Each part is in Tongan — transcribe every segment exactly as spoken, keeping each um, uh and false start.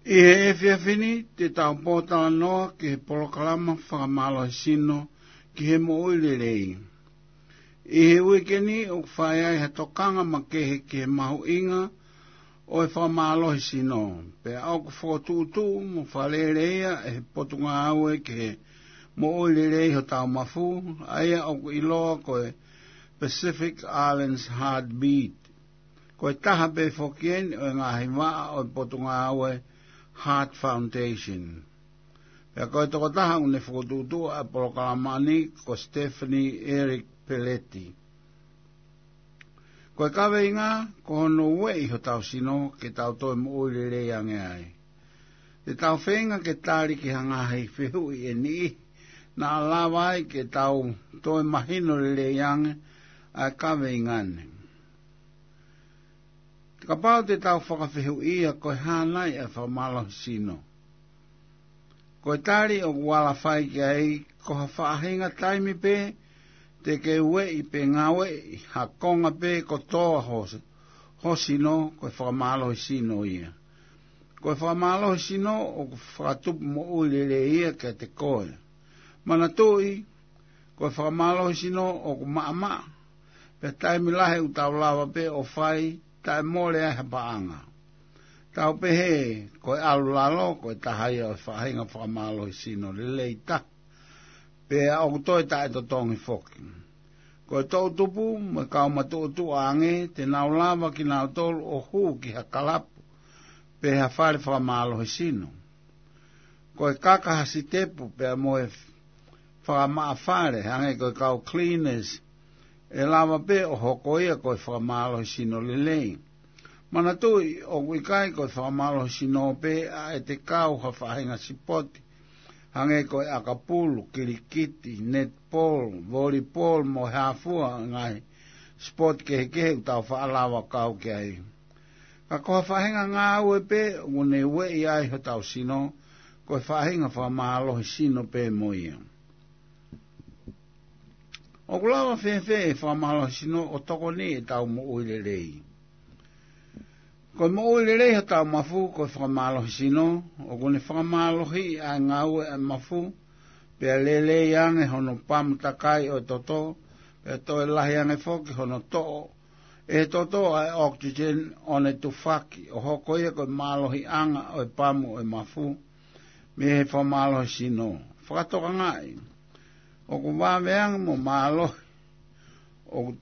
ʻI he efiafi ni te tau pōtalanoa ki he polokalama fakamālohisino ki he moʻui lelei. ʻI he uike ni ʻoku fai ai ha tokanga makehe ki he mahuʻinga ʻo e fakamālohisino, pea ʻoku fokotuʻutuʻu mo fakalele ia ʻe he Potungāue ki he Moʻui Lelei Hotau Mafu, ʻa ia ʻoku ʻiloa ko e Pacific Islands Heartbeat. Ko e taha pē foki eni ʻo e ngaahi vaʻa ʻo e Potungāue Heart Foundation. Pea ko e tokotaha ʻoku ne fokotuʻutuʻu ʻa e polokalama ni ko Stephanie Eric Peleti. Ko e kaveinga, ko hono ueʻi hotau sino ke tau toe moʻui lelei ange ai. Te tau feinga ke tali ki ha ngaahi fehuʻi ʻe niʻihi naʻa lava ai ke tau toe mahino lelei ange ʻa e kaveinga ni. Kapau te tau fakafehuʻia ko e hā nai ʻa e fakamālohisino, ko e tali ʻoku ala fai ki ai, ko ha faʻahinga taimi pē te ke ueʻi pe ngāueʻi ha konga pē kotoa ho, ho sino, ko e fakamālohisino ia. Ko e fakamālohisino ʻoku fakatupu moʻui lelei ia kiate koe. Manatuʻi, ko e fakamālohisino ʻoku maʻamaʻa, pea taimi lahi ʻoku tau lava pē ʻo fai taʻe mole ai ha paʻanga. Tau pehē, ko e ʻalu lalo ko e taha ia ʻo e faʻahinga fakamālohisino lelei taha, pea ʻoku toe taʻetotongi foki. Ko e toʻutupu mo e kau matuʻotuʻa ange, te nau lava kinautolu ʻo hū ki ha kalapu pe ha fale fakamālohisino. Ko e kaka ha sitepu pea mo e fakamaʻa fale, hangē ko e kau cleaners, ʻe lava pē ʻo hoko ia ko e fakamālohisino lelei. Manatuʻi, ʻoku ʻikai ko e fakamālohisino pē ʻa ʻete kau ha faʻahinga sipoti, hangē ko e ʻakapulu, kilikiti, netball, volleyball, mo e hā fua ngaahi sipoti kehekehe ʻoku tau faʻa lava kau ki ai. Ka ko ha faʻahinga ngāue pē ʻoku ne ueʻi ai hotau sino, ko e faʻahinga fakamālohisino pē mo ia. ʻOku lava fēfē ʻe he fakamālohisino ʻo tokoni ʻetau moʻui lelei? Ko e moʻui lelei hotau mafu ko e fakamālohisino, ʻoku ne fakamālohiʻi ʻa e ngāue ʻa e mafu, pea lelei ange hono pamu takai ʻo e toto, pea toe lahi ange foki hono toʻo ʻe he toto ʻa e oxygen ʻo ne tufaki, ʻo hoko ia ko e mālohiʻanga ʻo e pamu ʻo e mafu mei he fakamālohisino. Fakatokangaʻi, ʻoku vave ange mo mālohi ʻoku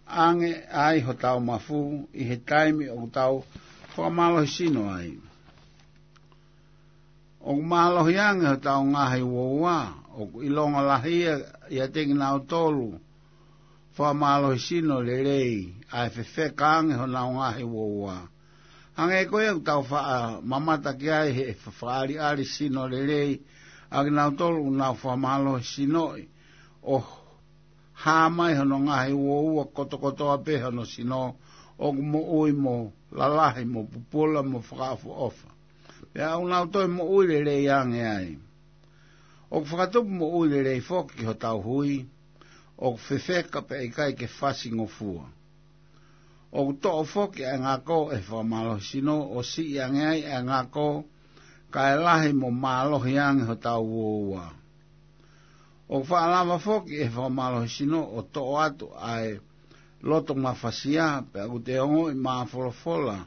ange ai hotau mafu ʻi he taimi ʻoku tau fakamālohisino ai. ʻOku mālohi ange hotau ngaahi uoua, ʻoku ʻilonga lahi ia ʻiate kinautolu fakamālohisino lelei, ʻa e fefeka ange honau ngaahi uoua. Hangē ko ia ʻoku tau faʻa mamata ki ai he fa-, fakaʻaliʻali sino lelei ʻa kinautolu ʻoku nau fakamālohisinoʻi, ʻo hā mai hono ngaahi uoua kotokotoa pē hono sino, ʻoku moʻui mo lalahi mo pupula mo fakaʻofoʻofa. Pea ʻoku nau toe moʻui lelei ange ai. ʻOku fakatupu moʻui lelei foki ki hotau hui, ʻoku fefeka pea ʻikai ke fasingofua. ʻOku toʻo foki ʻa e ngako ʻe he fakamālohisino ʻo siʻi ange ai ʻa e ngako, kae lahi mo mālohi ange hotau uoua. ʻOku faʻa lava foki ʻe he fakamālohisino ʻo toʻo atu ʻa e loto mafasia, pea ʻoku te ongoʻi māfolofola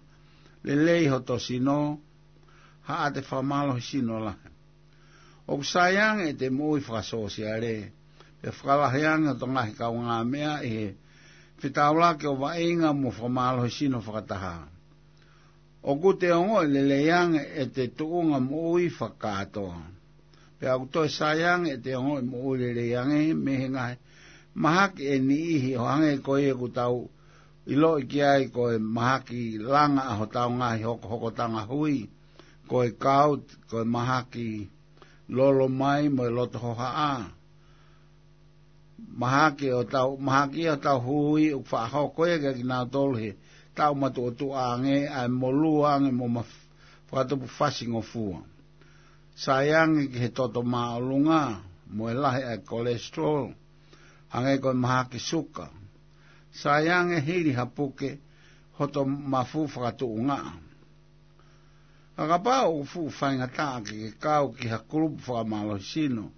lelei hoto sino, haʻate fakamālohisino lahi. ʻOku sai ange ʻete moʻui fakasōsiale, pea fakalahi ange hoto ngaahi kaungāmeʻa ʻi he fetaulaki ʻo vaʻinga mo fakamālohisino fakataha. ʻOku te ongoʻi lelei ange ʻete tuʻunga moʻui fakakātoa. Pea ʻoku toe sai ange ʻete ongoʻi moʻui lelei ange mei he ngaahi mahaki ʻe niʻihi, ʻo hangē ko ia ʻoku tau ʻiloʻi ki ai ko e mahaki langa ʻa hotau ngaahi hokohokotanga hui, ko e gout, ko e mahaki lolo mai mo e loto hohaʻa. Mahaki ʻo tau, mahaki ʻo tau hui ʻoku faʻa hoko ia kia kinautolu he taʻu matuʻotuʻa ange, ʻa e molū ange mo maf-, fakatupu fasingofua. Sai ange ki he toto māʻolunga mo e lahi ʻa e cholesterol, hangē ko e mahaki suka. Sai ange hili ha puke hoto mafu fakatuʻungaʻa. Ka kapau ʻoku fuʻu faingataʻa ke ke kau ki ha kulupu fakamālohisino,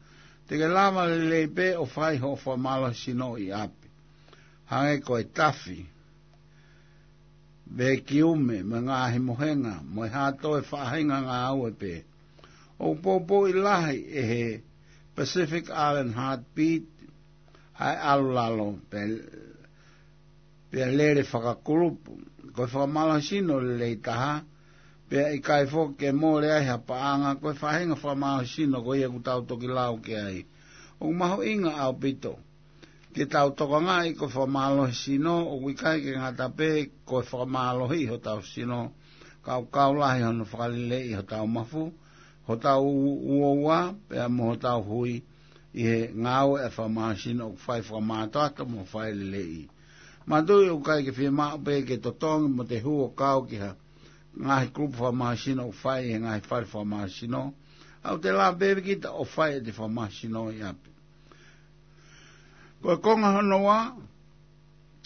te ke lava lelei pē ʻo fai hoʻo fakamālohisino ʻi ʻapi. Hangē ko e tafi, vekiume, mo e ngaahi mohenga, mo e hā toe faʻahinga ngāue pē. ʻOku poupouʻi lahi ʻe he Pacific Island Heartbeat ʻa e ʻalu lalo pea, pea lele fakakulupu. Ko e fakamālohisino lelei taha, pea ʻikai foki ke mole ai ha paʻanga, ko e faʻahinga fakamālohisino ko ia ʻoku tau toki lau ki ai. ʻOku mahuʻinga ʻaupito ke tau tokangaʻi ko e fakamālohisino, ʻoku ʻikai ke ngata pē ko e fakamālohi hotau sino, ka ʻoku kau lahi hono fakaleleiʻi hotau mafu, hotau uaua, pea mo hotau hui, ʻi he ngāue ʻa e fakamālohisino ʻoku fai fakamātoato mo fai lelei. Manatuʻi ʻoku ʻikai ke fiemaʻu pē ke totongi mo te hū ʻo kau ki ha ngaahi kulupu fakamālohisino ʻoku fai ʻi he ngaahi fale fakamālohisino, ʻoku te lava pē kita ʻo fai ʻete fakamālohisino ʻi ʻapi. Ko e konga hono ua,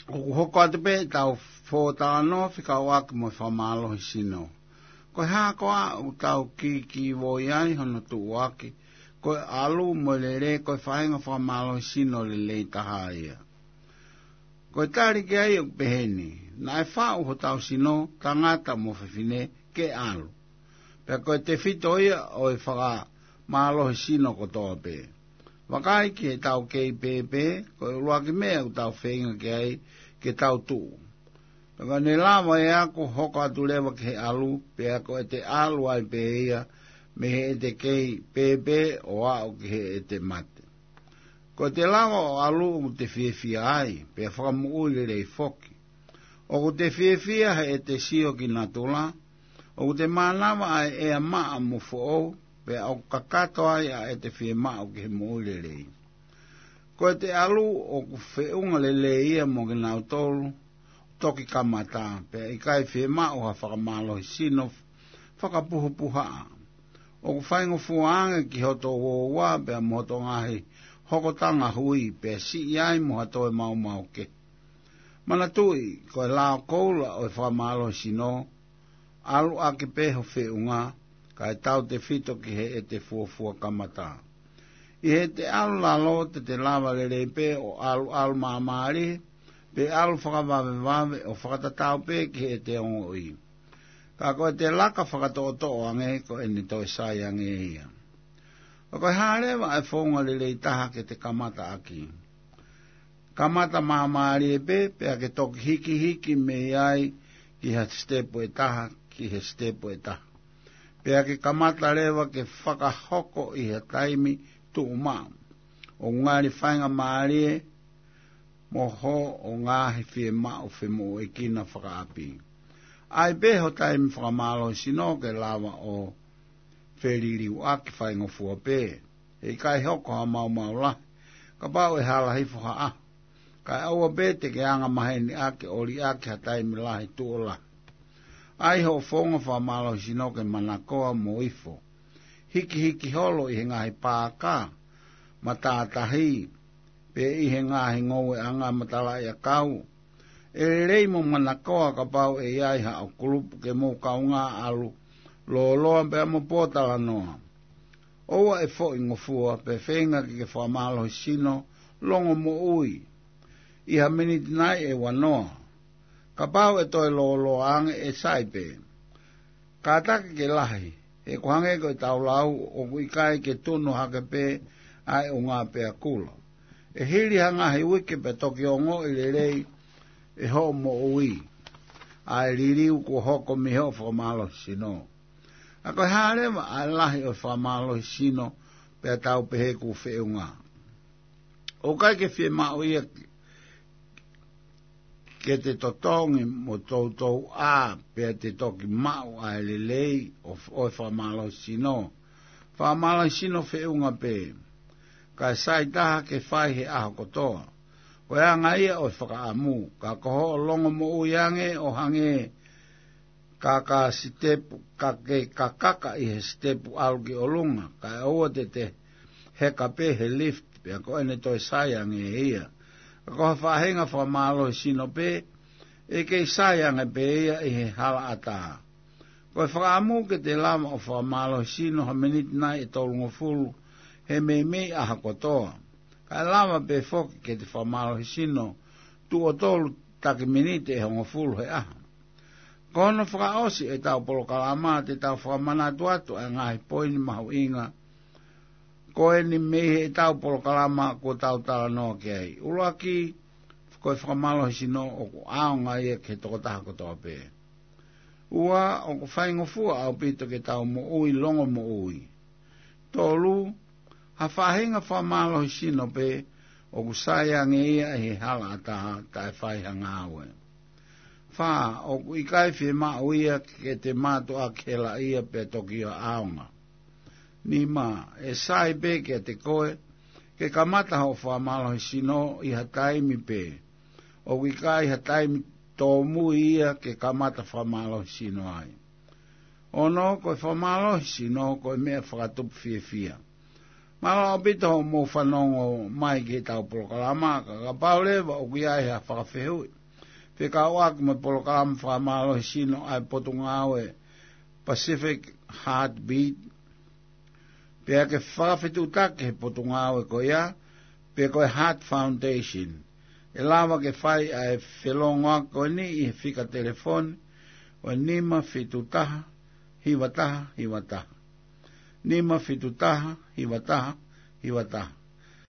ʻoku hoko atu pē ʻetau fōtalanoa fekauʻaki mo e fakamālohisino. Ko e hā koā ʻoku tau kīkīvoi ai hono tuʻuaki, ko e ʻalu mo e lele ko e faʻahinga fakamālohisino lelei taha ia. Ko e tali ki ai ʻoku pehē ni, naʻe faʻu hotau sino, tangata mo fefine, ke ʻalu. Pea ko e tefito ia ʻo e fakamālohisino kotoa pē. Vakai ki heʻetau kei pēpē, ko e ʻuluaki meʻa ʻoku tau feinga ki ai ke tau tuʻu. Pea ka ne lava ʻe ia ʻo hoko atu leva ki he ʻalu, pea ko ʻete ʻalu ai pē ia mei heʻete kei pēpē ʻo aʻu ki heʻete mate. Ko ʻete lava ʻo ʻalu ʻoku te fiefia ai, pea fakamoʻui lelei foki. ʻOku te fiefia heʻete sio ki natula, ʻoku te mānava ʻa e ʻea maʻa mo foʻou, pea ʻoku kakato ai ʻa ʻete fiemaʻu ki he moʻui lelei. Ko ʻete ʻalu ʻoku feʻunga lelei ia mo kinautolu toki kamata, pea ʻikai fiemaʻu ha fakamālohisino fakapuhapuhaʻa. ʻOku faingofua ange ki hoto uaua pea mo hoto ngaahi hokotanga hui, pea siʻi ai mo ha toe maumau kehe. Manatuʻi, ko e lao koula ʻo e fakamālohisino, ʻalu ʻaki pē ho feʻunga, kae tautefito ki heʻete fuofua kamata. ʻI heʻete ʻalu lalo te te lava lelei pē ʻo ʻaluʻalu māmālie, pe ʻalu fakavavevave ʻo fakatatau pē ki heʻete ongoʻi. Ka ko ʻete laka fakatoʻotoʻo ange ko ʻene toe sai ange ia. Ka ko e hā leva ʻa e founga lelei taha ke te kamata ʻaki? Kamata māmālie pē, pea ke toki hikihiki mei ai ki ha sitepu ʻe taha, ki he sitepu ʻe taha. Pea ke kamata leva ke fakahoko ʻi ha taimi tuʻumaʻu. ʻO ngali faingamālie mo hoʻo ngaahi fiemaʻu femoʻuekina fakaʻapi. ʻAi pē ho taimi fakamālohisino ke lava ʻo feliliuaki faingofua pē. He ʻikai hoko ha maumau lahi, kapau ʻe hala hifo ha ʻaho. Kae ʻoua pē te ke anga maheni ʻaki ʻo liʻaki ha taimi lahi tuʻo lahi. ʻAi hoʻo founga fakamālohisino ke manakoa mo ifo. Hikihiki holo ʻi he ngaahi paaka, matātahi, pe ʻi he ngaahi ngoueʻanga matalaʻiʻakau. ʻE lelei mo manakoa kapau ʻe ʻi ai haʻo kulupu ke mou kaungā ʻalu lōloa pea mo pōtalanoa. ʻOua ʻe foʻi ngofua pe feinga ke ke fakamālohisino longomoʻui ʻi ha miniti nai ʻe ua noa. Kapau ʻe toe lōloa ange ʻe sai pē. Kātaki ke lahi, he ʻoku hangē ko ʻetau lau ʻoku ʻikai ke tunu hake pē ʻa e ʻunga pea kula. ʻE hili ha ngaahi uike pea toki ongoʻi lelei ʻe hoʻo moʻui ʻa e liliu kuo hoko mei hoʻo fakamālohisino. Ka ko e hā leva ʻa e lahi ʻo e fakamālohisino pea tau pehē kuo feʻunga? ʻOku ʻikai ke fiemaʻu ia ke te totongi mo toutou ʻā pea te toki maʻu ʻa e lelei ʻo, ʻo e fakamālohisino. Fakamālohisino feʻunga pē. Kae sai taha ke fai he ʻaho kotoa. Ko e anga ia ʻo e fakaʻamu, ka ko hoʻo longomoʻui ange ʻo hangē ka ka sitepu, ka ke kakaka ʻi he sitepu ʻalu ki ʻolunga, kae ʻoua te te heka pē he lift, pea ko ʻene toe sai ange ia. Ka ko ha faʻahinga fakamālohisino pē, ʻe kei sai ange pē ia ʻi he halaʻatā. Ko e fakaʻamu ke te lava ʻo fakamālohisino ha miniti nai ʻe tolungofulu he meimei ʻaho kotoa. Kae lava pē foki ke te fakamālohisino tuʻo tolu taki miniti ʻe hongofulu he ʻaho. Ko hono fakaʻosi ʻetau polokalama te tau fakamanatu atu ʻa e ngaahi poini mahuʻinga ko eni mei heʻetau polokalama kuo tau talanoa ki ai. ʻUluaki, ko e fakamālohisino ʻoku ʻaonga ia ki he tokotaha kotoa pē. Ua, ʻoku faingofua ʻaupito ke tau moʻui longomoʻui. Tolu, ha faʻahinga fakamālohisino pē ʻoku sai ange ia ʻi he halaʻatā taʻe fai ha ngāue. Fā, ʻoku ʻikai fiemaʻu ia ke te mātuʻaki helaʻia pea toki ʻaonga. Nima, ʻe sai pē kiate koe ke kamata hoʻo fakamālohisino ʻi ha taimi pē. ʻOku ʻikai ha taimi tōmui ia ke kamata fakamālohisino ai. Ono, ko e fakamālohisino ko e meʻa fakatupu fiefia. Mālō ʻaupito hoʻomou fanongo mai ki heʻetau polokalama, ka kapau leva ʻoku ʻi ai ha fakafehuʻi fekauʻaki mo e polokalama fakamālohisino ʻa e Potungāue Pacific Heartbeat, pea ke fakafetuʻutaki he potungāue ko ia, pe ko e Heart Foundation, ʻe lava ke fai ʻa e felōngoaki ko eni ʻi he fika telefoni, ʻo e nima fitu taha, hiva taha, hiva taha. Nima fitu taha, hiva taha, hiva taha.